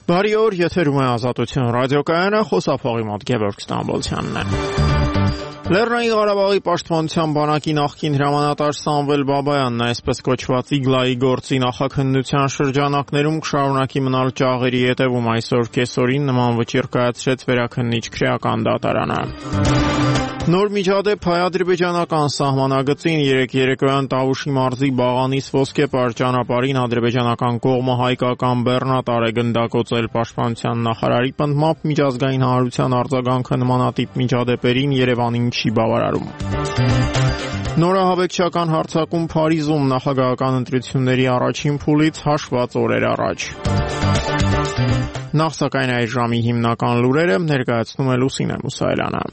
Բարի օր, եթերում է Ազատություն ռադիոկայանը, խոսափողի մոտ Գևորգ Ստամբոլցյանն է։ Լեռնային Ղարաբաղի պաշտպանության բանակի նախկին հրամանատար Սամվել Բաբայանն այսպես կոչված Իգլայի գործի նախաքննության շրջանակներում կշարունակի մնալ ճաղերի ետևում այսօր կեսօրին նման վճիռ կայացրեց վերաքննիչ քրեական դատարանը։ Նոր միջադեպ հայ-ադրբեջանական սահմանագծին երեկոյան Տավուշի մարզի Բաղանիս ոսկեպար ճանապարհին ադրբեջանական կողմը հայկական բեռնատար է գնդակոծել պաշտպանության նախարարի պնդմամբ միջազգային հանրության արձագանքը նմանատիպ միջադեպերին Երևանին չի բավարարում։ Նորահավեկչական հարձակում Փարիզում նախագահական ընտրությունների առաջին փուլից հաշված օրեր առաջ։ Նախ սակայն այս ժամի հիմնական լուրերը ներկայացնում է Լուսինե Մուսայելյանը։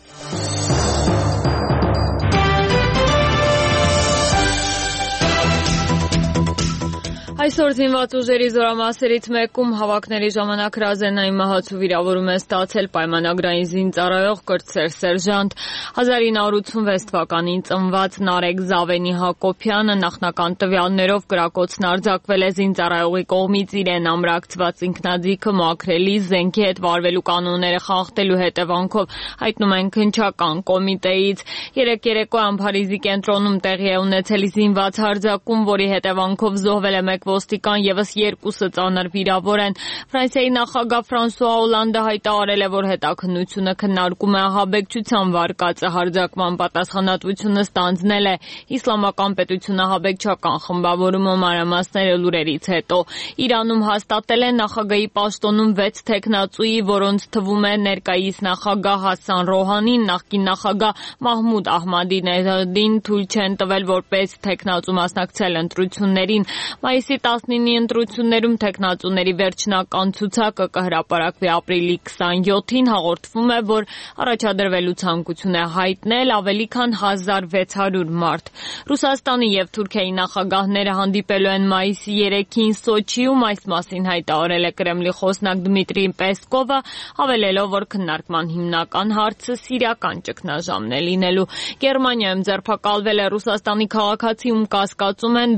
Այսօր զինված ուժերի զորամասերից մեկում հավաքների ժամանակ հրազենային մահացու վիրավորում է ստացել պայմանագրային զինծառայող կրտսեր սերժանտ 1986 թվականին ծնված Նարեկ Զավենի Հակոբյանը նախնական տվյալներով կրակոցն արձակվել է զինծառայողի կողմից իրեն ամրակցված ինքնաձիգը մաքրելի զենքի հետ վարվելու կանոնները խախտելու հետևանքով հայտնում են քննչական կոմիտեից։ Երեկոյան Փարիզի կենտրոնում տեղի է ունեցել զինված հարձակում, որի հետևանքով զոհվել է մեկ ոստիկան եւս երկուսը ծանր վիրավոր են։ Ֆրանսիայի նախագահ Ֆրանսուଆ Օլանդը հայտարարել է, որ հետաքննությունը քննարկում է ահաբեկչության վարկածը հարձակման պատասխանատվությունը ստանձնել է Իսլամական պետությունը ահաբեկչական խմբավորումը մանրամասները լուրերից հետո։ Իրանում հաստատել են նախագահի պաշտոնում 6 թեկնածուի, որոնց թվում է ներկայիս նախագահ Հասան Ռոհանին, նախկին նախագահ Մահմուդ Ահմադինեժադին թույլ չեն տվել որպես թեկնածու մասնակցել ընտրություններին։ Մայիսի 19-ի ընտրություններում թեկնածուների վերջնական ցուցակը կհրապարակվի ապրիլի 27-ին, հաղորդվում է, որ առաջադրվելու ցանկություն է հայտնել ավելի քան 1600 մարդ։ Ռուսաստանի եւ Թուրքիայի նախագահները հանդիպելու են մայիսի 3-ին Սոչիում, այս մասին հայտարարել է Կրեմլի խոսնակ Դմիտրի Պեսկովը, հավելելով, որ քննարկման հիմնական հարցը սիրիական ճգնաժամն է լինելու։ Գերմանիայում ձերբակալվել է Ռուսաստանի քաղաքացի, ում կասկածում են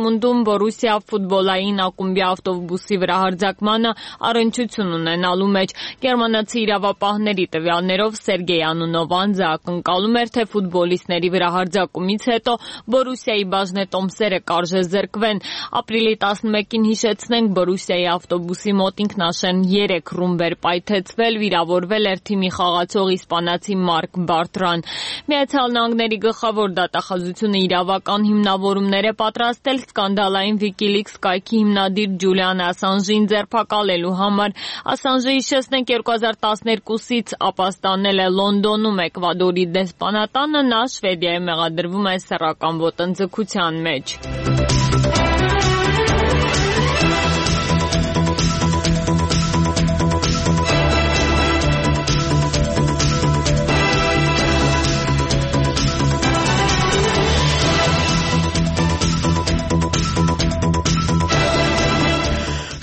Դորտմունդում Բորուսիա ֆուտբոլային ակումբի ավտոբուսի վրա հարձակմանը առնչություն ունենալու մեջ։ Գերմանացի իրավապահների տվյալներով Սերգեյ անունով անձը ակնկալում էր, թե ֆուտբոլիստների վրա հարձակումից հետո Բորուսիայի բաժնետոմսերը կարժե զրկվեն։ Ապրիլի 11-ին հիշեցնենք, Բորուսիայի ավտոբուսի մոտ ինքնաշեն 3 ռումբեր պայթեցվել, վիրավորվել էր թիմի խաղացող իսպանացի Մարկ Բարտրան։ Միացյալ Նահանգների գլխավոր դատախազությունը իրավական հիմնավորումներ է պատրաստել սկանդալային WikiLeaks կայքի հիմնադիր Ջուլիան Ասանժին ձերբակալելու համար։ Ասանժը, հիշեցնենք, 2012-ից ապաստանել է Լոնդոնում Էկվադորի դեսպանատանը, նա Շվեդիայում մեղադրվում է սեռական ոտնձգության մեջ։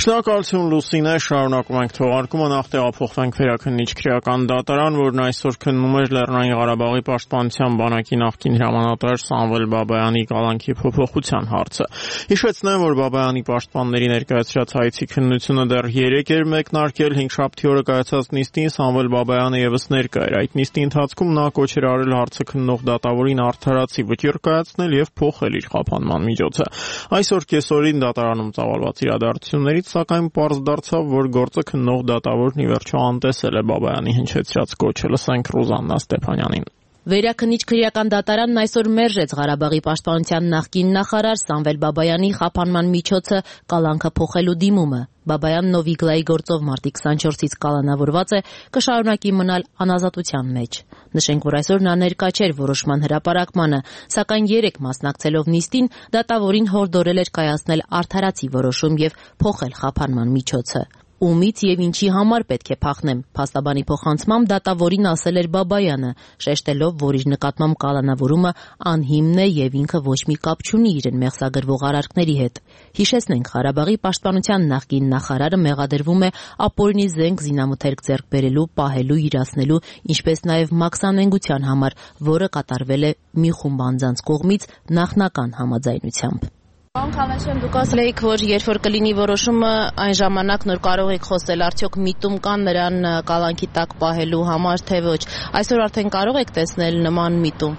Շնորհակալություն Լուսինե, շարունակում ենք թողարկումը, նախ տեղափոխվենք վերաքննիչ քրեական դատարան, որն այսօր քննում էր Լեռնային Ղարաբաղի պաշտպանության բանակի նախկին հրամանատար Սամվել Բաբայանի կալանքի փոփոխության հարցը։ Հիշեցնեմ, որ Բաբայանի պաշտպանների ներկայացրած հայցի քննությունը դեռ 3 էր մեկնարկել, 5-շաբթի օրը կայացած նիստին Սամվել Բաբայանը եւս ներկա էր։ Այդ նիստի ընթացքում նա կոչ էր արել հարցը քննող դատավորին արդարացի վճիռ կայացնել եւ փոխել իր խափանման միջոցը։ Այսօր կեսօրին դատարանում ծավալված իրադարձություններից սակայն պարզ դարձավ, որ գործը քննող դատավորն ի վերջո անտեսել է Բաբայանի հնչեցրած կոչը։ Լսենք Ռուզաննա Ստեփանյանին։ Վերաքննիչ քրեական դատարանն այսօր մերժեց Ղարաբաղի պաշտպանության նախկին նախարար Սամվել Բաբայանի խափանման միջոցը կալանքը փոխելու դիմումը։ Բաբայանն, ով Իգլայի գործով մարտի 24-ից կալանավորված է, կշարունակի մնալ անազատության մեջ։ Նշենք, որ այսօր նա ներկա չէր որոշման հրապարակմանը, սակայն 3 մասնակցելով նիստին, դատավորին հորդորել էր կայացնել արդարացի որոշում եւ փոխել խափանման միջոցը։ Ումից եւ ինչի համար պետք է փախնեմ, փաստաբանի փոխանցմամբ դատավորին ասել էր Բաբայանը, շեշտելով, որ իր նկատմամբ կալանավորումը անհիմն է եւ ինքը ոչ մի կապ չունի իրեն մեղսագրվող արարքների հետ։ Հիշեցնենք, Ղարաբաղի պաշտպանության նախկին նախարարը մեղադրվում է ապօրինի զենք զինամթերք ձեռք բերելու, պահելու, իրացնելու, ինչպես նաեւ մաքսանենգության համար, որը կատարվել է մի խումբ անձանց կողմից նախնական համաձայնությամբ։ Պարոն Քալանջյան, դուք ասել եք, որ երբ որ կլինի որոշումը, այն ժամանակ նոր կարող եք խոսել, արդյոք միտում կան նրան կալանքի տակ պահելու համար, թե ոչ։ Այսօր արդեն կարող եք տեսնել նման միտում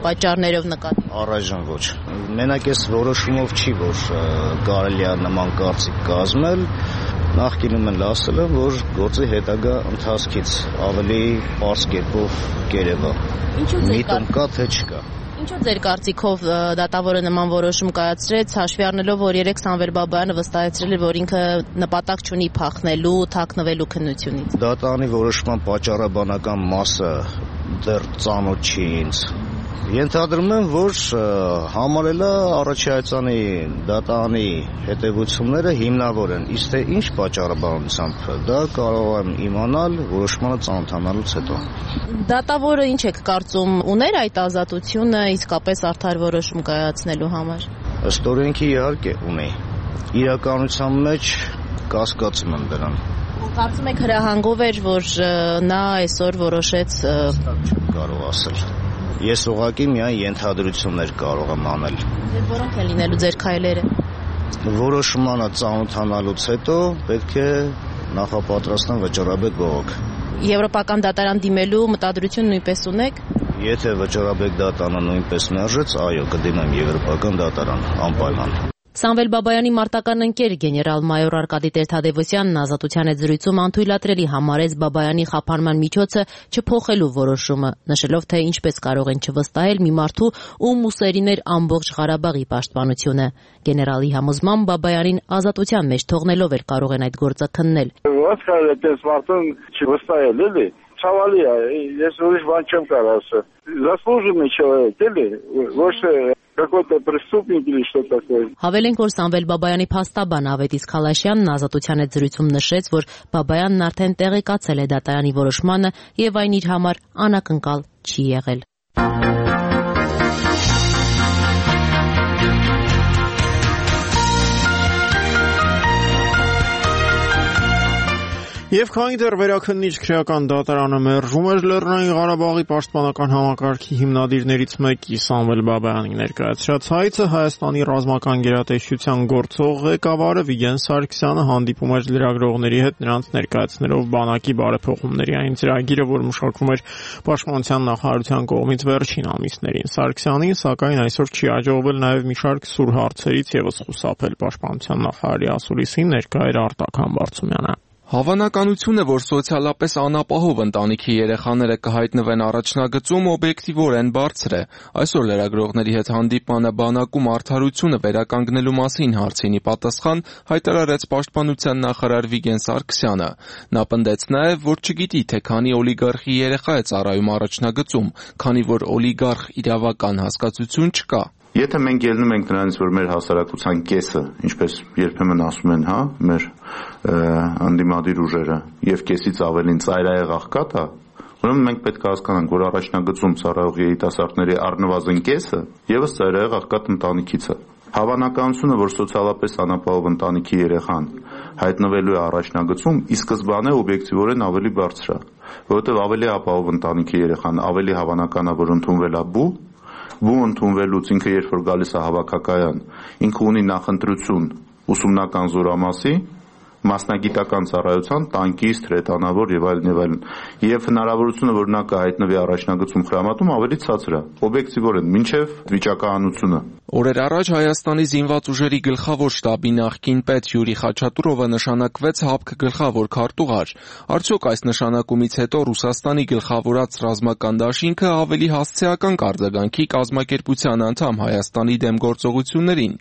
պատճառներով նկատի։ Առայժմ ոչ։ Մենակ այս որոշումով չի, որ կարելի է նման կարծիք կազմել։ Նախկինում էլ ասել եմ, որ գործի հետագա ընթացքից ավելի պարզ կերպով կերևա։ Միտում կա, թե չկա։ Ինչու ձեր կարծիքով դատավորը նման որոշում կայացրեց, հաշվի առնելով, որ երեք Սամվել Բաբայանը վստահեցրել է, որ ինքը նպատակ չունի փախնելու, թաքնվելու քննությունից։ Դատարանի որոշման պատճառաբանական մասը դեռ ծանոթ չի ինձ։ Ենթադրում եմ, որ համարել է առաջայցանի դատարանի հետևությունները հիմնավոր են, իսկ թե ինչ պատճառաբանությամբ դա կարող եմ իմանալ որոշմանը ծանոթանալուց հետո։ Դատավորը ինչ եք կարծում, ուներ այդ ազատությունը իսկապես արդար որոշում կայացնելու համար։ Ըստ օրենքի իհարկե ունի։ Իրականության մեջ կասկածում եմ դրան։ Կարծում եք հրահանգով էր, որ նա այսօր որոշեց։ Կարող ասել։ Ես ուղղակի միայն ենթադրություններ կարող եմ անել։ Որոնք են լինելու ձեր քայլերը։ Որոշմանը ծանոթանալուց հետո պետք է նախապատրաստան վճռաբեկ բողոք։ Եվրոպական դատարան դիմելու մտադրություն նույնպես ունեք։ Եթե վճռաբեկ դատարանը նույնպես մերժեց, այո, կդիմեմ Եվրոպական դատարան անպայման։ Սամվել Բաբայանի մարտական ընկեր գեներալ-մայոր Արկադի Տեր-Թադևոսյանն ազատության հետ զրույցում անթույլատրելի համարեց Բաբայանի խափանման միջոցը չփոխելու որոշումը, նշելով, թե ինչպես կարող են չվստահել մի մարդու, ում ուսերին էր ամբողջ Ղարաբաղի պաշտպանությունը։ Գեներալի համոզմամբ Բաբայանին ազատության մեջ թողնելով էր կարող են այդ գործը քննել։ Ո՞նց կարելի է այդպես մարդուն չվստահել, էլի։ Ցավալի է, ես ուրիշ բան չեմ կարող ասել։ Заслуженный человек, էլի, ոչ какой-то преступник или что такое։ Հավելենք, որ Սամվել Բաբայանի փաստաբան Ավետիս Քալաշյանն ազատության հետ զրույցում նշեց, որ Բաբայանն արդեն տեղեկացել է դատարանի որոշմանը եւ այն իր համար անակնկալ չի եղել։ Եվ քանի դեռ վերաքննիչ քրեական դատարանը մերժում էր Լեռնային Ղարաբաղի պաշտպանական համակարգի հիմնադիրներից մեկի Սամվել Բաբայանի ներկայացրած հայցը, Հայաստանի ռազմական գերատեսչության գործող ղեկավարը Վիգեն Սարգսյանը հանդիպում էր լրագրողների հետ, նրանց ներկայացնելով բանակի բարեփոխումների այն ծրագիրը, որ մշակվում էր Պաշտպանության նախարարության կողմից վերջին ամիսներին։ Սարգսյանին, սակայն, այսօր չի հաջողվել նաև մի շարք սուր հարցերից եւս խուսափել Պաշտպանության նախարարի ասուլիսին ներկա էր Արտակ Համբարձումյանը։ Հավանականությունը, որ սոցիալապես անապահով ընտանիքի երեխաները կհայտնվեն առաջնագծում, օբյեկտիվորեն բարձր է։ Այսօր լրագրողների հետ հանդիպմանը բանակում արդարությունը վերականգնելու մասին հարցինի պատասխան հայտարարեց Պաշտպանության նախարար Վիգեն Սարգսյանը։ Նա պնդեց նաև, որ չգիտի, թե քանի օլիգարխի երեխա է ծառայում առաջնագծում, քանի որ օլիգարխ իրավական հասկացություն չկա։ Եթե մենք ելնում ենք նրանից, որ մեր հասարակության կեսը, ինչպես երբեմն ասում են, մեր անդիմադիր ուժերը, եւ կեսից ավելին ծայրահեղ աղքատ է, ուրեմն մենք պետք է հասկանանք, որ առաջնագծում ծառայող երիտասարդների առնվազն կեսը եւս ծայրահեղ աղքատ ընտանիքից է։ Հավանականությունը, որ սոցիալապես անապահով ընտանիքի երեխան հայտնվելու է առաջնագծում, ի սկզբանե օբյեկտիվորեն ավելի բարձր է, որովհետեւ ավելի ապահով ընտանիքի երեխան ավելի հավանական է, որ ընդունվել է բու ընդունվելուց ինքը երբ որ գալիս է հավաքակայան, ինքը ունի նախընտրություն ուսումնական զորամասի, մասնագիտական ծառայության, տանկիստ, հրետանավոր եւ այլն, եւ հնարավորությունը, որ նա կհայտնվի առաջնագծում խրամատում ավելի ցածր է, օբյեկտիվորեն, մինչեւ վիճակահանությունը։ Օրեր առաջ Հայաստանի զինված ուժերի գլխավոր շտաբի նախկին պետ Յուրի Խաչատուրովը նշանակվեց ՀԱՊԿ գլխավոր քարտուղար։ Արդյոք այս նշանակումից հետո Ռուսաստանի գլխավորած ռազմական դաշինքը ավելի հասցեական կարձագանքի կազմակերպության անդամ Հայաստանի դեմ գործողություններին։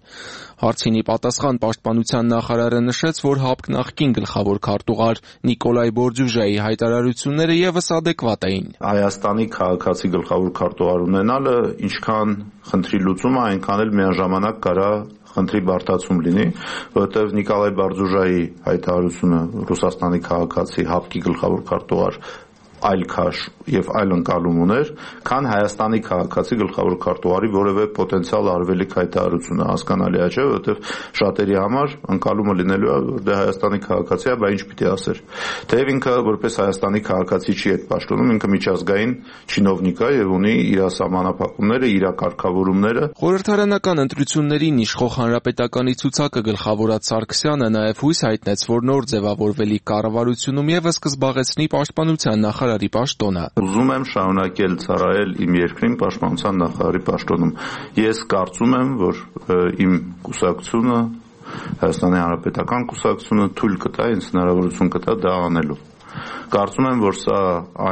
Հարցինի պատասխան Պաշտպանության նախարարը նշեց, որ ՀԱՊԿ նախկին գլխավոր քարտուղար Նիկոլայ Բորդյուժայի հայտարարությունները եւս ադեկվատ էին։ Հայաստանի քաղաքացի գլխավոր քարտուղար ունենալը ինչքան խնդրի լուծումը, այնքան էլ միաժամանակ կարա խնդրի բարդացում լինի, որովհետև Նիկոլայ Բորդյուժայի հայտարարությունը Ռուսաստանի քաղաքացի ՀԱՊԿ-ի գլխավոր քարտուղար այլ քաշ եւ այլ ընկալում ուներ, քան Հայաստանի քաղաքացի գլխավոր քարտուղարի որևէ պոտենցիալ արվելիք հայտարարությունը, հասկանալի է, չէ՞, որովհետեւ շատերի համար ընկալումը լինելու է, որ դե Հայաստանի քաղաքացի է, բա ինչ պիտի ասեր։ Թեև ինքը որպես Հայաստանի քաղաքացի չի այդ պաշտոնում, ինքը միջազգային չինովնիկ է եւ ունի իր սահմանափակումները, իր կարգավորումները։ Խորհրդարանական ընտրություններին իշխող հանրապետականի ցուցակը գլխավորած Սարգսյանը նաեւ հույս հայտնեց, որ նոր ձևավորվելիք կառավարությունում եւս կզբաղեցնի պաշտպանության նախարարի պաշտոնը։ Ուզում եմ շարունակել ծառայել իմ երկրին պաշտպանության նախարարի պաշտոնում։ Ես կարծում եմ, որ իմ կուսակցությունը, Հայաստանի Հանրապետական կուսակցությունը թույլ կտա, ինձ հնարավորություն կտա դա անելու։ Կարծում եմ, որ սա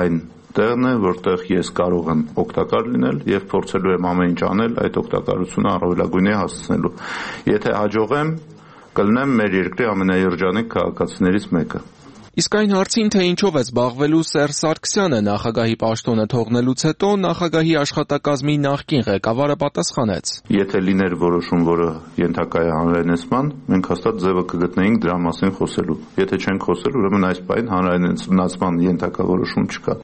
այն տեղն է, որտեղ ես կարող եմ օգտակար լինել եւ փորձելու եմ ամեն ինչ անել այդ օգտակարությունը առավելագույնի հասցնելու։ Եթե հաջողեմ, կլինեմ մեր երկրի ամենաերջանիկ քաղաքացիներից մեկը։ Իսկ այն հարցին, թե ինչով է զբաղվելու Սերժ Սարգսյանը նախագահի պաշտոնը թողնելուց հետո, նախագահի աշխատակազմի նախկին ղեկավարը պատասխանեց. Եթե լիներ որոշում, որը ենթակա է հանրայնացման, մենք հաստատ ձևը կգտնեինք դրա մասին խոսելու։ Եթե չենք խոսել, ուրեմն այս պահին հանրայնացման ենթակա որոշում չկա։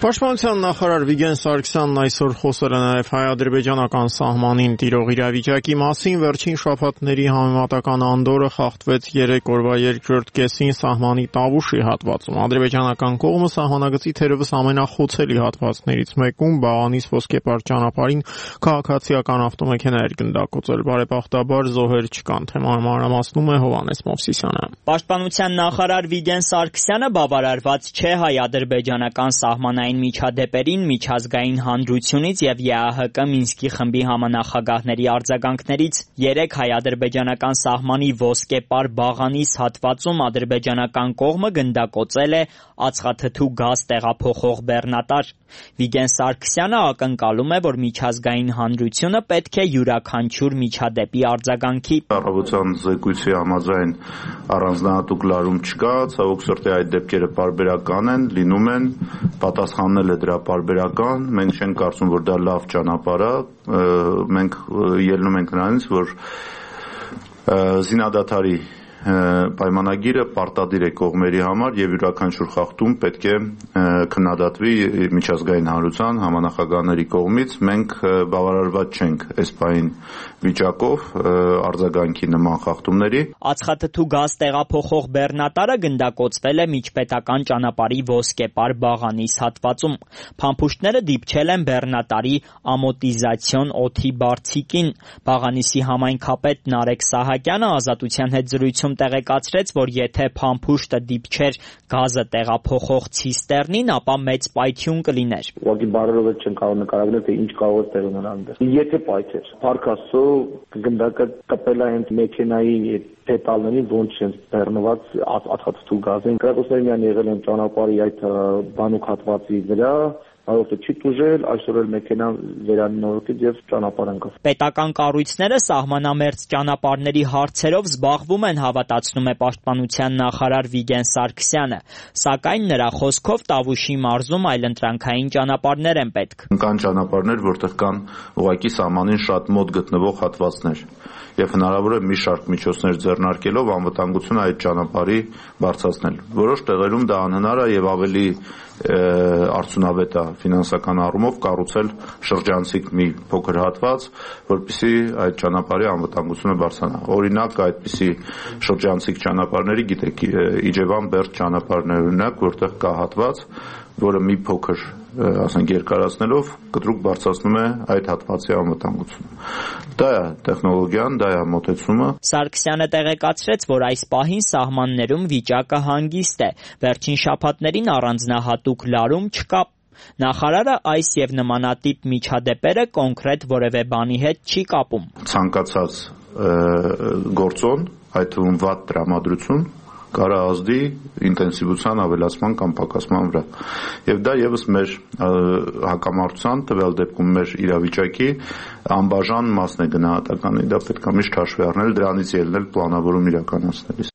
Պաշտպանության նախարար Վիգեն Սարգսյանն այսօր խոսել է նաև հայ-ադրբեջանական սահմանին տիրող իրավիճակի մասին։ Վերջին շաբաթների համեմատական անդորը խախտվեց 3 օրվա երկրորդ կեսին սահմանի Տավուշի հատվածում։ Ադրբեջանական կողմը սահմանագծի թերևս ամենախոցելի հատվածներից մեկում Բաղանիս ոսկեպար ճանապարհին քաղաքացիական ավտոմեքենա էր գնդակոծել։ Բարեբախտաբար զոհեր չկան։ Թեման մանրամասնում է Հովհաննես Մովսիսյանը։ Պաշտպանության նախարար Վիգեն Սարգսյանը բավարարված չէ հայ-ադրբեջանական սահմանային միջադեպերին, միջազգային հանրությունից եւ ԵԱՀԿ Մինսկի խմբի համանախագահների արձագանքներից 3 հայ-ադրբեջանական սահմանի ոսկեպար Բաղանիս հատվածում ադրբեջանական կողմը գնդակոծել է ածխաթթու գազ տեղափոխող բեռնատար։ Վիգեն Սարգսյանը ակնկալում է, որ միջազգային հանրությունը պետք է յուրաքանչյուր միջադեպի արձագանքի։ Առավոտյան զեկույցի համաձայն առանձնահատուկ լարում չկա, ցավոք սրտի այդ դեպքերը պարբերական են, լինում են, պատասխաննել է դրա պարբերական, մենք չենք կարծում, որ դա լավ ճանապարհ է, մենք ելնում ենք նրանից, որ զինադադարի պայմանագիրը պարտադիր է կողմերի համար եւ յուրաքանչյուր խախտում պետք է քննադատվի միջազգային հանրության համանախագահների կողմից։ Մենք բավարարված չենք այս պահին վիճակով արձագանքի նման խախտումների։ Ածխաթթու գազ տեղափոխող բեռնատարը գնդակոծվել է միջպետական ճանապարհի ոսկեպար Բաղանիս հատվածում։ Փամփուշտները դիպչել են բեռնատարի ամոտիզացիոն օդի բարձիկին։ Բաղանիսի համայնքապետ Նարեկ Սահակյանը Ազատության հետ զրույցում տեղեկացրեց, որ եթե փամփուշտը դիպչեր գազը տեղափոխող ցիստեռնին, ապա մեծ պայթյուն կլիներ։ Ուղղակի բարերով չեն կարող նկարագրել, թե ինչ կարող է տեղ ունենալ այնտեղ։ Եթե պայթեր, Փառք Աստծո, գնդակը կպել է հենց մեքենայի պետալներին, ոնց են բեռնված ածխաթթու գազին։ Կրակոցները միայն եղել են ճանապարհի այդ բանուկ հատվածի վրա, Այո, չի տուժել, այսօր էլ մեքենան վերանորոգեց եւ ճանապարհ ընկավ։ Պետական կառույցները սահմանամերձ ճանապարհների հարցերով զբաղվում են, հավատացնում է Պաշտպանության նախարար Վիգեն Սարգսյանը, սակայն նրա խոսքով Տավուշի մարզում այլընտրանքային ճանապարհներ են պետք։ Կան ճանապարհներ, որտեղ կան ուղղակի սահմանին շատ մոտ գտնվող հատվածներ եւ հնարավոր է մի շարք միջոցներ ձեռնարկելով անվտանգությունը այդ ճանապարհի բարձրացնել։ Որոշ տեղերում դա անհնար է եւ ավելի արդյունավետ է ֆինանսական առումով կառուցել շրջանցիկ մի փոքր հատված, որպեսզի այդ ճանապարհի անվտանգությունը բարձրանա։ Օրինակ, այդպիսի շրջանցիկ ճանապարհների, գիտեք, Իջևան-Բերդ ճանապարհն է օրինակ, որտեղ կա հատված, որը մի փոքր, ասենք, երկարացնելով կտրուկ բարձրացնում է այդ հատվածի անվտանգությունը։ Դա է տեխնոլոգիան, դա է մոտեցումը։ Սարգսյանը տեղեկացրեց, որ այս պահին սահմաններում վիճակը հանգիստ է։ Վերջին շաբաթներին առանձնահատուկ լարում չկա։ Նախարարը այս եւ նմանատիպ միջադեպերը կոնկրետ որևէ բանի հետ չի կապում։ Ցանկացած գործոն, այդ թվում վատ տրամադրություն կարա ազդի ինտենսիվության ավելացման կամ պակասման վրա։ Եվ դա եւս մեր հակամարտության, տվյալ դեպքում մեր իրավիճակի անբաժան մասն է գնահատականի, դա պետք է միշտ հաշվի առնել, դրանից ելնել պլանավորում իրականացնելիս։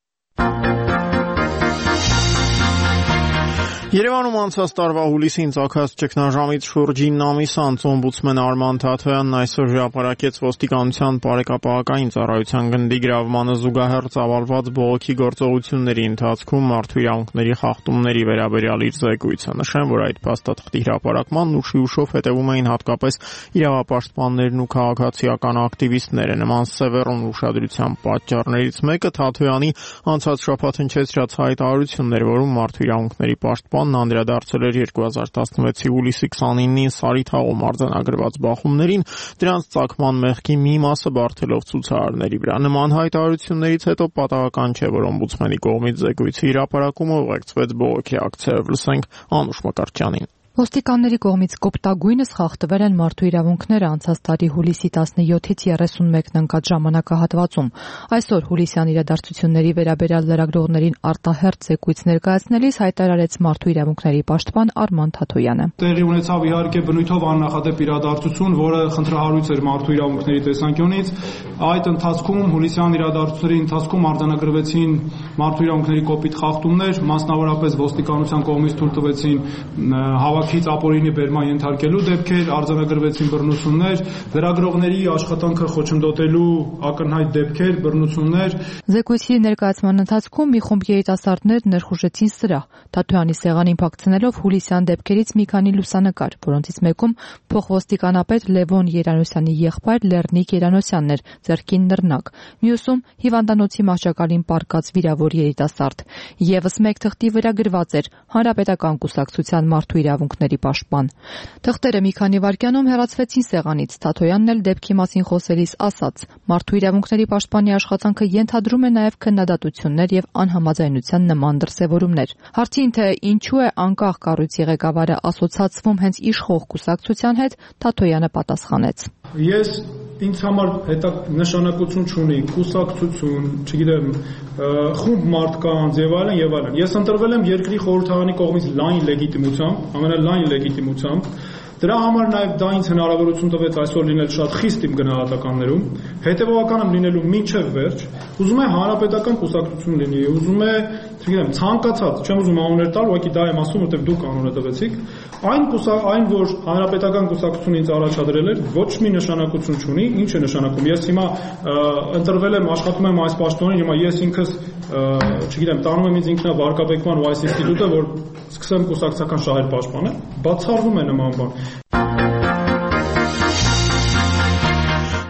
Երևանում անցած տարվա հուլիսին ծագած ճգնաժամից շուրջ 9 ամիս անց օմբուդսմեն Արման Թաթոյանն այսօր հրապարակեց ոստիկանության բարեկապահական ծառայության գնդի գրավմանը զուգահեռ ծավալված բողոքի գործողությունների ընթացքում մարդու իրավունքների խախտումների վերաբերյալ իր զեկույցը։ Նշեմ, որ այդ փաստաթղթի հրապարակմանն ուշի ուշով հետևում էին հատկապես իրավապաշտպաններն ու քաղաքացիական ակտիվիստները։ Նման սևեռուն ուշադրության պատճառներից մեկը Թաթոյանի անցած շաբաթ հնչեցրած հայտարարությունն էր, որում մարդու իրավունքների պաշտպանն անդրադարձել էր 2016-ի հուլիսի 29-ին Սարիթաղում արձանագրված բախումներին, դրանց ծագման մեղքի մի մասը բարթելով ցուցարարների վրա։ Նման հայտարարություններից հետո պատահական չէ, որ օմբուդսմենի կողմից զեկույցի հրապարակումը ուղեկցվեց բողոքի ակցիայով։ Լսենք Անուշ Մկրտչյանին։ Ոստիկանների կողմից կոպտագույնս խախտվել են մարդու իրավունքները անցած տարի հուլիսի 17-ից 31-ն ընկած ժամանակահատվածում։ Այսօր հուլիսյան իրադարձությունների վերաբերյալ լրագրողներին արտահերթ զեկույց ներկայացնելիս հայտարարեց մարդու իրավունքների պաշտպան Արման Թաթոյանը։ Տեղի ունեցավ իհարկե բնույթով աննախադեպ իրադարձություն, որը խնդրահարույց էր մարդու իրավունքների տեսանկյունից։ Այդ ընթացքում հուլիսյան իրադարձությունների ընթացքում արձանագրվեցին մարդու իրավունքների կոպիտ խախտումներ, մասնավորապես ոստիկանության կողմից թույլ տվեցին հավաքից ապօրինի բերման ենթարկելու դեպքեր, արձանագրվեցին բռնություններ, լրագրողների աշխատանքը խոչընդոտելու ակնհայտ դեպքեր, բռնություններ։ Զեկույցի ներկայացման ընթացքում մի խումբ երիտասարդներ ներխուժեցին սրահ, Թաթոյանի սեղանին փակցնելով հուլիսյան դեպքերից մի քանի լուսանկար, որոնցից մեկում փոխոստիկանապետ Լևոն Երանոսյանի եղբայր Լեռնիկ Երանոսյանն էր, ձեռքին նռնակ, մյուսում հիվանդանոցի մահճակալին պառկած վիրավոր երիտասարդ։ Եվս մեկ թղթի վրա գրված էր Հանրապետական կուսակցության մարդու իրավունքների պաշտպան։ Թղթերը մի քանի վայրկյանում հեռացվեցին սեղանից։ Թաթոյանն էլ դեպքի մասին խոսելիս ասաց. մարդու իրավունքների պաշտպանի աշխատանքը ենթադրում է նաև քննադատություններ եւ անհամաձայնության նման դրսեւորումներ։ Հարցին թե ինչու է անկախ կառույցի ղեկավարը ասոցացվում հենց իշխող կուսակցության հետ, Թաթոյանը պատասխանեց. Ես ինձ համար նշանակություն չունի կուսակցություն, չգիտեմ, խումբ մարդկանց եւ այլն եւ այլն։ Ես ընտրվել եմ երկրի խորհրդարանի կողմից լայն լեգիտիմությամբ, ամենալայն լեգիտիմությամբ։ Դրա համար նաև դա ինձ հնարավորություն տվեց այսօր լինել շատ խիստ իմ գնահատականներում, հետևողական եմ լինելու մինչև վերջ, ուզում է հանրապետական կուսակցություն լինի, ուզում է, չգիտեմ, ցանկացած, չեմ ուզում անուններ տալ, ուղղակի դա եմ ասում, որտեղ դուք անունը տվեցիք, այն որ հանրապետական կուսակցությունը ինձ առաջադրել էր, ոչ մի նշանակություն չունի, ինչ է նշանակում։ Ես հիմա ընտրվել եմ, աշխատում եմ այս պաշտոնին, հիմա ես ինքս, չգիտեմ, տանում եմ ինձ ինքնավարկաբեկման ու այս ինստիտուտը, որ սկսեմ կուսակցական շահեր պաշտպանել, բացառվում է նման բան։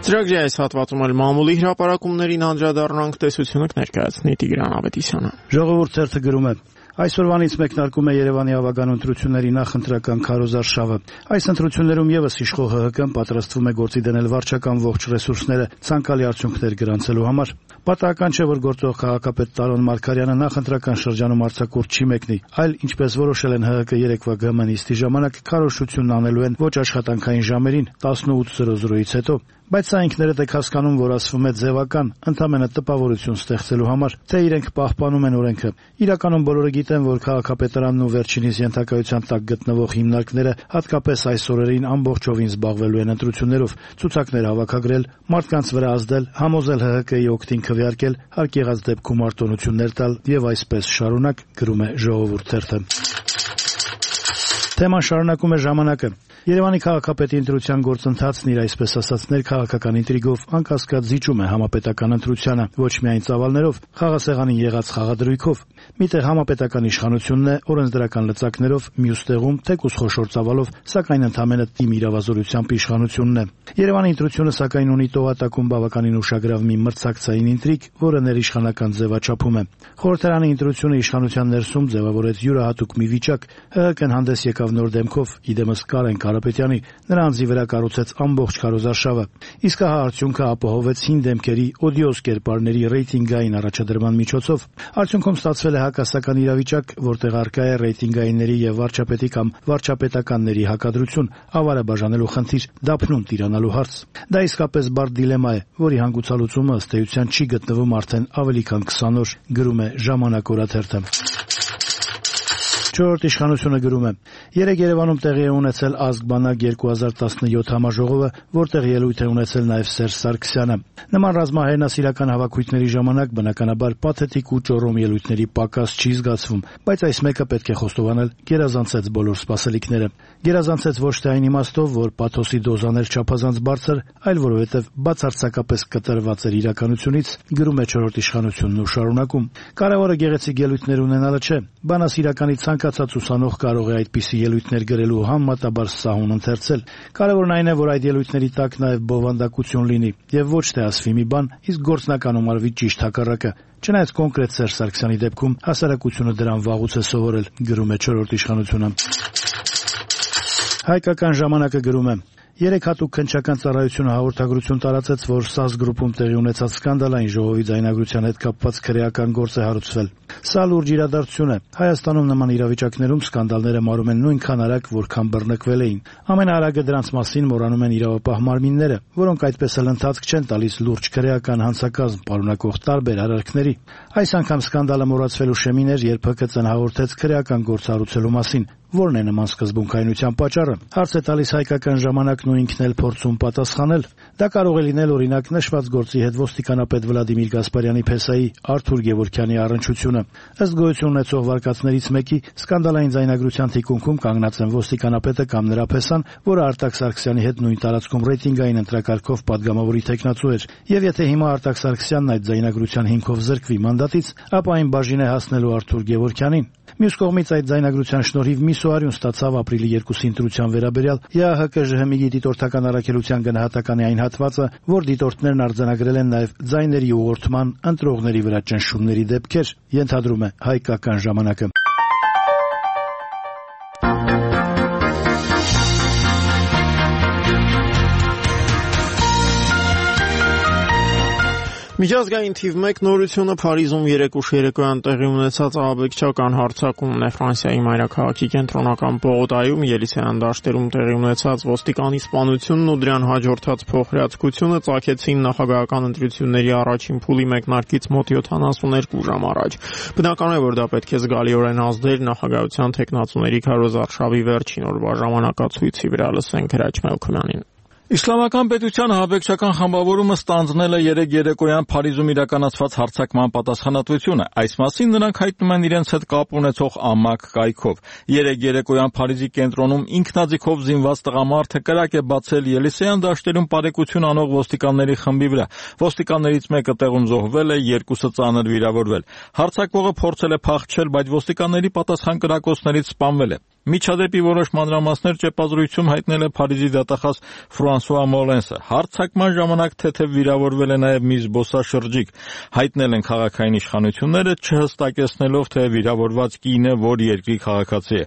Ծրագրի այս հատվածում էլ մամուլի հրապարակումներին անդրադառնանք, տեսությունը կներկայացնի Տիգրան Ավետիսյանը։ Ժողովուրդ թերթը գրում է. Այսօրվանից մեկնարկում է Երևանի ավագան ընտրությունների նախընտրական քարոզարշավը։ Այս ընտրություններում եւս իշխող ՀՀԿ-ն պատրաստվում է գործի դնել վարչական ողջ ռեսուրսները ցանկալի արդյունքներ գրանցելու համար։ Պատահական չէ, որ գործող քաղաքապետ Տարոն Մարգարյանը նախընտրական շրջանում արձակուրդ չի մեկնի, այլ ինչպես որոշել են ՀՀԿ երեկվա ԳՄ-նիստի ժամանակ քարոզությունն անելու են ոչ աշխատանքային ժամերին 18:00-ից հետո։ Բայց սա ինքներդ եք հասկանում, որ ասվում է ձևական, ընդամենը տպավորություն ստեղծելու համար, թե իրենք պահպանում են օրենքը։ Իրականում բոլորը գիտեն, որ քաղաքապետարանն ու վերջինիս ենթակայության տակ գտնվող հիմնարկները հատկապես այս օրերին ամբողջովին զբաղվելու են ընտրություններով, ցուցակներ հավաքագրել, մարդկանց վրա ազդել, համոզել ՀՀԿ-ի օգտին քվեարկել, հարկ եղած դեպքում արտոնություններ տալ եւ այսպես շարունակ, գրում է Ժողովուրդ թերթը։ Թեման շարունակում է Ժամանակը։ Երևանի քաղաքապետի ընտրության գործընթացն իր այսպես ասած ներքաղաքական ինտրիգով անկասկած զիջում է համապետական ընտրությանը, ոչ միայն ծավալներով, խաղասեղանին եղած խաղադրույքով։ Միտեղ համապետական իշխանությունն է օրենսդրական լծակներով, մյուս տեղում թեկուզ խոշոր ծավալով, սակայն ընդամենը թիմ իրավազորությամբ իշխանությունն է։ Երևանի ընտրությունը սակայն ունի տողատակում բավականին ուշագրավ մի մրցակցային ինտրիգ, որը ներիշխանական ձևաչափում է։ Խորհրդարանի ընտրությունը իշխանության ներսում ձևավորեց յուրահատուկ մի վիճակ։ ՀՀԿ-ն հանդես եկավ նոր դեմքով, իդեմս Կարեն Կարապետյանի, նրա անձի վրա կառուցեց ամբողջ քարոզարշավը։ Իսկ հա արդյունքը ապահովեց հին դեմքերի, օդիոզ կերպարների ռեյտինգային առաջադրման միջոցով։ Արդյունքում ստացվել է հակասական իրավիճակ, որտեղ առկա է ռեյտինգայինների եւ վարչապետի կամ վարչապետականների հակադրություն, ավարը բաժանելու խնդիր, դափնում տիրանալու հարց։ Դա իսկապես բարդ դիլեմա է, որի հանգուցալուծումը ըստ էության չի գտնվում արդեն ավելի քան 20 օր, գրում է Ժամանակ օրաթերթը։ Չորրորդ իշխանությունը գրում է. Երեկ Երևանում տեղի է ունեցել ազգ-բանակ 2017 համաժողովը, որտեղ ելույթ է ունեցել նաև Սերժ Սարգսյանը։ Նման ռազմահայրենասիրական հավաքույթների ժամանակ բնականաբար պաթետիկ ու ճոռոմ ելույթների պակաս չի զգացվում, բայց այս մեկը պետք է խոստովանել գերազանցեց բոլոր սպասելիքները։ Գերազանցեց ոչ թե այն իմաստով, որ պաթոսի դոզաներ չափազանց բարձր, այլ որովհետև բացարձակապես կտրված էր իրականությունից, գրում է չորրորդ իշխանությունն ու շարունակում։ Կարևորը գեղեցիկ ելույթներ ունենալը չէ, բանասիրականի ցանկացած ուսանող կարող է այդպիսի ելույթներ գրելու համեմատաբար սահուն ընթերցել։ Կարևորն այն է, որ այդ ելույթների տակ նաև բովանդակություն լինի եւ ոչ թե ասվի մի բան, իսկ գործնականում արվի ճիշտ հակառակը։ Չնայած կոնկրետ Սերժ Սարգսյանի դեպքում հասարակությունը դրան վաղուց է սովորել, գրում է չորրորդ իշխանությունը։ Հայկական ժամանակը գրում է. Երեք հատուկ քննչական ծառայությունը հաղորդագրություն տարածեց, որ ՍԱԶ գրուպում տեղի ունեցած սկանդալային ժողովի ձայնագրության հետ կապված քրեական գործ է հարուցվել։ Սա լուրջ իրադարձություն է։ Հայաստանում նման իրավիճակներում սկանդալները մարում են նույնքան արագ, որքան բռնկվել էին։ Ամենաարագը դրանց մասին մոռանում են իրավապահ մարմինները, որոնք այդպես էլ ընթացք չեն տալիս լուրջ քրեական հանցակազմ պարունակող տարբեր արարքների։ Այս անգամ սկանդալը մոռացվելու շեմին էր, երբ ՀԿՑ-ն հաղորդեց քրեական գործ հարուցելու մասին։ Որն է նման սկզբունքայնության պատճառը։ Հարց է տալիս հայկական ժամանակն ու ինքն էլ փորձում պատասխանել։ Դա կարող է լինել օրինակ նշված գործի հետ ոստիկանապետ Վլադիմիր Գասպարյանի փեսայի Արթուր Գևորգյանի առնչությունը։ Ըստ գոյություն ունեցող վարկածներից մեկի սկանդալային ձայնագրության թիկունքում կանգնած են ոստիկանապետը կամ նրա փեսան, որը Արտակ Սարգսյանի հետ նույն տարածքում ռեյտինգային ընտրակարգով падգամավորի տեխնացու էր։ Եվ եթե հիմա Արտակ Սարգսյանն այդ ձայնագրության հիմքով զրկվի մանդատից, ապա այն բաժին է հասնելու Արթուր Գևորգյանին։ Մյուս կողմից այդ ձայնագրության շնորհիվ մի սուարյուն ստացավ ապրիլի 2-ի ընտրության վերաբերյալ ԵԱՀԿ-ԺՀՄ-ի դիտորդական առաքելության գնահատականի այն հատվածը, որ դիտորդներն արձանագրել են նաև ձայների ուղղորդման, ընտրողների վրա ճնշումների դեպքեր, ենթադրում է հայկական ժամանակը։ Միջազգային թիվ 1 նորությունը Փարիզում երեկ ուշ երեկոյան տեղի ունեցած ահաբեկչական հարձակումն է։ Ֆրանսիայի մայրաքաղաքի կենտրոնական Բողոտայում Ելիսեյան դաշտերում տեղի ունեցած ոստիկանի սպանությունն ու դրան հաջորդած փոխհրացքությունը ծագեցին նախագահական ընտրությունների առաջին փուլի մեկնարկից մոտ 72 ժամ առաջ։ Բնական է, որ դա պետք է զգալիորեն ազդեր նախագահության թեկնածուների Քարոզ Արշավի վերջին օրվա ժամանակացույցի վրա, լսենք Հրաչ Մելքոյանին։ Իսլամական պետության ահաբեկչական խմբավորումը ստանձնել է երեկ երեկոյան Փարիզում իրականացված հարձակման պատասխանատվությունը։ Այս մասին նրանք հայտնում են իրենց հետ կապ ունեցող ամակ կայքով։ Երեկ երեկոյան Փարիզի կենտրոնում ինքնաձիգով զինված տղամարդը կրակ է բացել Ելիսեյան դաշտերում բարեկություն անող ոստիկանների խմբի վրա։ Ոստիկաններից մեկը տեղում զոհվել է, երկուսը ծանր վիրավորվել։ Հարձակվողը փորձել է փախչել, բայց ոստիկանների պատասխան կրակոցներից սպանվել է։ Միջադեպի որոշ մանրամասներ ճեպազրույցում հայտնել է Փարիզի դատախազ Ֆրանսուଆ Մոլենսը։ Հարձակման ժամանակ թեթև վիրավորվել է նաև մի զբոսաշրջիկ։ Հայտնել են քաղաքային իշխանությունները, չհստակեցնելով, թե վիրավորված կինը որ երկրի քաղաքացի է։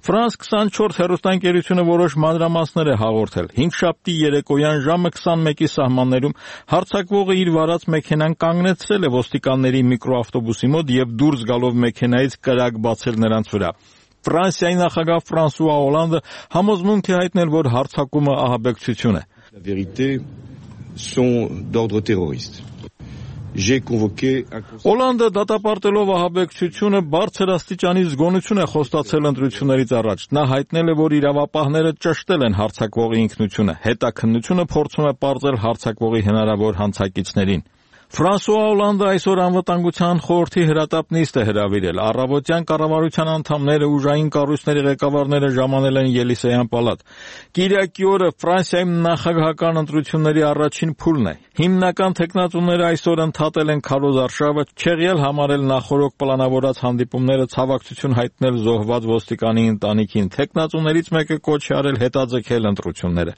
France 24 հեռուստաընկերությունը որոշ մանրամասներ է հաղորդել։ Հինգշաբթի երեկոյան ժամը 21-ի սահմաններում հարձակվողը իր վարած մեքենան կանգնեցրել է ոստիկանների միկրոավտոբուսի մոտ եւ դուրս գալով մեքենայից կրակ բացել նրանց վրա։ Ֆրանսիայի նախագահ Ֆրանսուଆ Օլանդը համոզմունք է հայտնել, որ հարձակումը ահաբեկչություն է։ La vérité sont d'ordre terroriste. J'ai convoqué Օլանդը դատապարտելով ահաբեկչությունը բարձր աստիճանի զգոնություն է խոստացել ընտրություններից առաջ։ Նա հայտնել է, որ իրավապահները ճշտել են հարձակվողի ինքնությունը։ Հետաքննությունը փորձում է պարզել հարձակվողի հնարավոր հանցակիցներին։ Ֆրանսուଆ Օլանդը այսօր անվտանգության խորհրդի հրատապ նիստ է հրավիրել։ Առավոտյան կառավարության անդամները, ուժային կառույցների ղեկավարները ժամանել են Ելիսեյան պալատ։ Կիրակի օրը Ֆրանսիայում նախագահական ընտրությունների առաջին փուլն է։ Հիմնական թեկնածուները այսօր ընդհատել են Քարոզ Արշավը, չեղյալ համարել նախորոք պլանավորած հանդիպումները, ցավակցություն հայտնել զոհված ոստիկանի ընտանիքին։ Թեկնածուներից մեկը կոչ է արել հետաձգել ընտրությունները։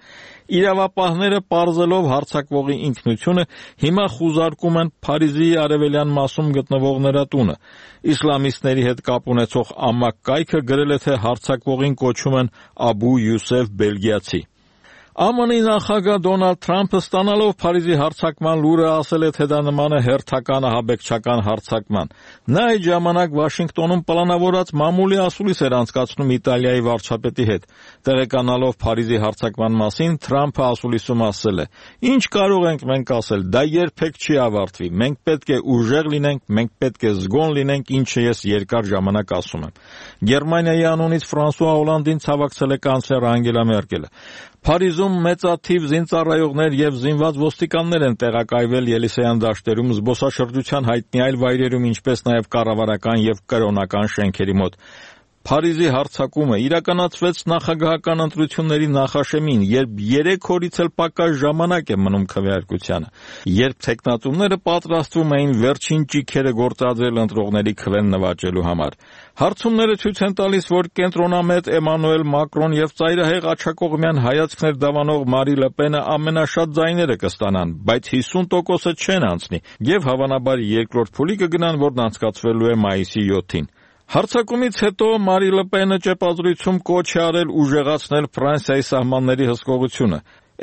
Իրավապահները պարզելով հարձակվողի ինքնությունը հիմա խուզարկում են Փարիզի արևելյան մասում գտնվող նրա տունը։ Իսլամիստների հետ կապ ունեցող ամակ կայքը գրել է, թե հարձակվողին կոչում են Աբու Յուսեֆ Բելգիացի։ ԱՄՆ-ի նախագահ Դոնալդ Թրամփը ստանալով Փարիզի հարձակման լուրը ասել է, թե դա նման է հերթական ահաբեկչական հարձակման։ Նա այդ ժամանակ Վաշինգտոնում պլանավորած մամուլի ասուլիս էր անցկացնում Իտալիայի վարչապետի հետ։ Տեղեկանալով Փարիզի հարձակման մասին, Թրամփը ասուլիսում ասել է. «Ինչ կարող ենք մենք ասել, դա երբեք չի ավարտվի։ Մենք պետք է ուժեղ լինենք, մենք պետք է զգոն լինենք, ինչը ես երկար ժամանակ ասում եմ»։ Գերմանիայի անունից Ֆրանսուଆ Հոլանդին ցավակցել է կանցլեր Անգելա Մերկելը։ Փարիզում մեծաթիվ զինծառայողներ եւ զինված ոստիկաններ են տեղակայվել Ելիսեյան դաշտերում, զբոսաշրջության հայտնի այլ վայրերում, ինչպես նաեւ կառավարական եւ կրոնական շենքերի մոտ։ Փարիզի հարձակումը իրականացվեց նախագահական ընտրությունների նախաշեմին, երբ 3 օրից էլ պակաս ժամանակ է մնում քվեարկությանը, երբ թեկնածուները պատրաստվում էին վերջին ճիգերը գործադրել ընտրողների քվեն նվաճելու համար։ Հարցումները ցույց են տալիս, որ կենտրոնամետ Էմանուել Մակրոն եւ ծայրահեղ աջակողմյան հայացքներ դավանող Մարի Լը Պենը ամենաշատ ձայները կստանան, բայց 50%-ը չեն անցնի եւ հավանաբար երկրորդ փուլի կգնան, որն անցկացվելու է մայիսի 7-ին։ Հարձակումից հետո Մարի Լը Պենը ճեպազրույցում կոչ է արել ուժեղացնել Ֆրանսիայի սահմանների հսկողությունը։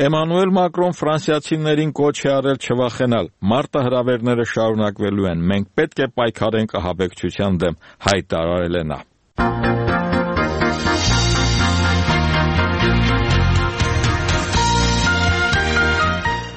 Էմանուել Մակրոն ֆրանսիացիներին կոչ է արել չվախենալ։ Մարտահրավերները շարունակվելու են։ Մենք պետք է պայքարենք ահաբեկչության դեմ, հայտարարել է նա։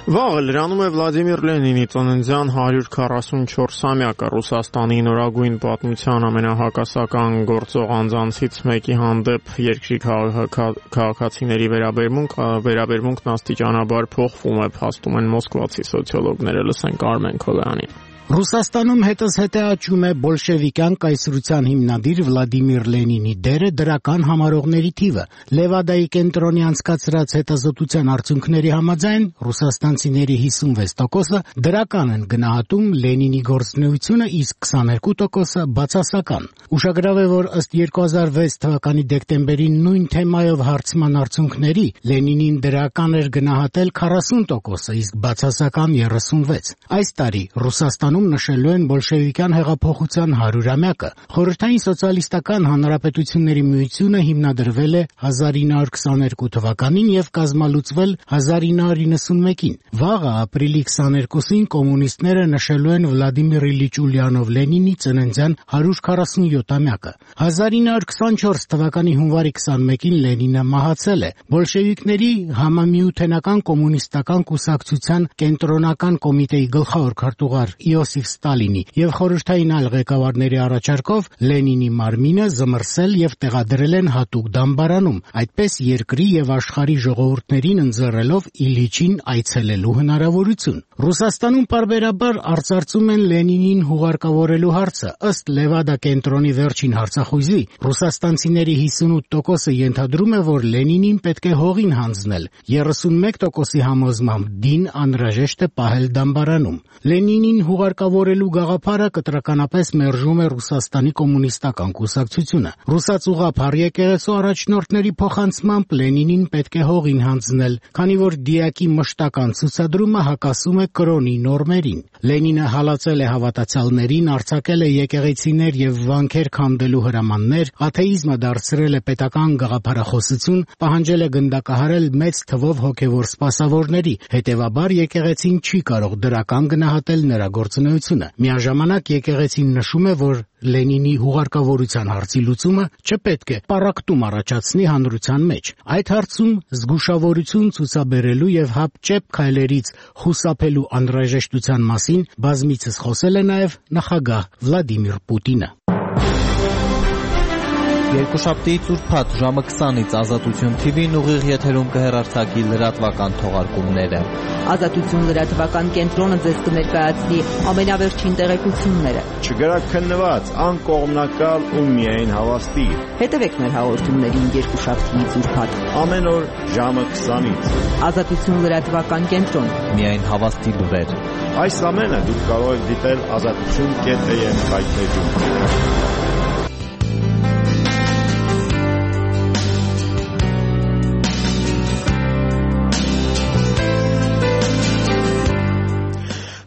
Վաղը լրանում է Վլադիմիր Լենինի ծննդյան 144-ամյակը։ Ռուսաստանի նորագույն պատմության ամենահակասական գործող անձանցից մեկի հանդեպ երկրի քաղաքացիների վերաբերմունքն աստիճանաբար փոխվում է, փաստում են մոսկվացի սոցիոլոգները։ Լսենք Արմեն Քոլյանին։ Ռուսաստանում հետզհետե աճում է բոլշևիկյան կայսրության հիմնադիր Վլադիմիր Լենինի դերը դրական համարողների թիվը։ Լևադայի կենտրոնի անցկացրած հետազոտության արդյունքների համաձայն ռուսաստանցիների 56%-ը դրական են գնահատում Լենինի գործունեությունը, իսկ 22%-ը բացասական։ Ուշագրավ է, որ ըստ 2006 թվականի դեկտեմբերին նույն թեմայով հարցման արդյունքների Լենինին դրական էր գնահատել 40%-ը, իսկ բացասական 36%։ Այս տարի Ռուսաստանում նշելու են բոլշևիկյան հեղափոխության 100-ամյակը։ Խորհրդային սոցիալիստական հանրապետությունների միությունը հիմնադրվել է 1922 թվականին եւ կազմալուծվել 1991-ին։ Վաղը ապրիլի 22-ին կոմունիստները նշելու են Վլադիմիր Իլիչ Ուլյանով Լենինի ծննդյան 147-ամյակը։ 1924 թվականի հունվարի 21-ին Լենինը մահացել է։ Բոլշևիկների համամիութենական կոմունիստական կուսակցության կենտրոնական կոմիտեի գլխավոր քարտուղար Իոսիֆ Ստալինի եւ խորհրդային այլ ղեկավարների առաջարկով Լենինի մարմինը զմռսել եւ տեղադրել են հատուկ դամբարանում, այդպես երկրի եւ աշխարհի ժողովուրդներին ընձեռելով Իլիչին այցելելու հնարավորություն։ Ռուսաստանում պարբերաբար արծարծում են Լենինին հուղարկավորելու հարցը։ Ըստ Լևադա կենտրոնի վերջին հարցախույզի, ռուսաստանցիների 58%-ը ենթադրում է, որ Լենինին պետք է հողին հանձնել, 31%-ի համոզմամբ դին անհրաժեշտ է պահել դամբարանում։ Լենինին հուղարկավորելու գաղափարը կտրականապես մերժում է Ռուսաստանի կոմունիստական կուսակցությունը։ Ռուսացուղափառ եկեղեցու առաջնորդների փոխանցմամբ Լենինին պետք է հողին հանձնել, քանի որ դիակի մշտական ցուցադրումը հակասում է կրոնի նորմերին։ Լենինը հալածել է հավատացյալներին, արձակել է եկեղեցիներ եւ վանքեր քանդելու հրամաններ, աթեիզմը դարձրել է պետական գաղափարախոսություն, պահանջել է գնդակահարել մեծ թվով հոգեվոր սպասավորների, հետեւաբար եկեղեցին չի կարող դրական գնահատել նրա գործունեությունը։ Միաժամանակ եկեղեցին նշում է, որ Լենինի հուղարկավորության հարցի լուծումը չպետք է պառակտում առաջացնի հանրության մեջ։ Այդ հարցում զգուշավորություն ցուցաբերելու եւ հապճեպ քայլերից խուսափելու անհրաժեշտության մասին բազմիցս խոսել է նաեւ նախագահ Վլադիմիր Պուտինը։ Երկուշաբթի ծուրփաթ ժամը 20-ից Ազատություն TV-ն ուղիղ եթերում կհեռարձակի լրատվական թողարկումները։ Ազատություն լրատվական կենտրոնը ձեզ կներկայացնի ամենավերջին տեղեկությունները։ Չգրակ քննված, անկողմնակալ ու միայն հավաստի։ Հետևեք մեր հաղորդումներին երկուշաբթի ծուրփաթ։ Ամեն օր ժամը 20-ից։ Ազատություն լրատվական կենտրոն։ Միայն հավաստի լուրեր։ Այս ամենը դուք կարող եք դիտել azatutun.am հայտնեջում։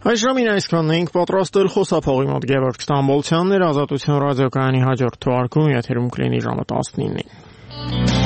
Այս ժամին այսքանն էինք պատրաստել խոսափողի մոտ Գևորգ Ստամբոլցյանն էր, Ազատություն ռադիոկայանի հաջորդ թողարկումը եթերում կլինի ժամը 19-ին։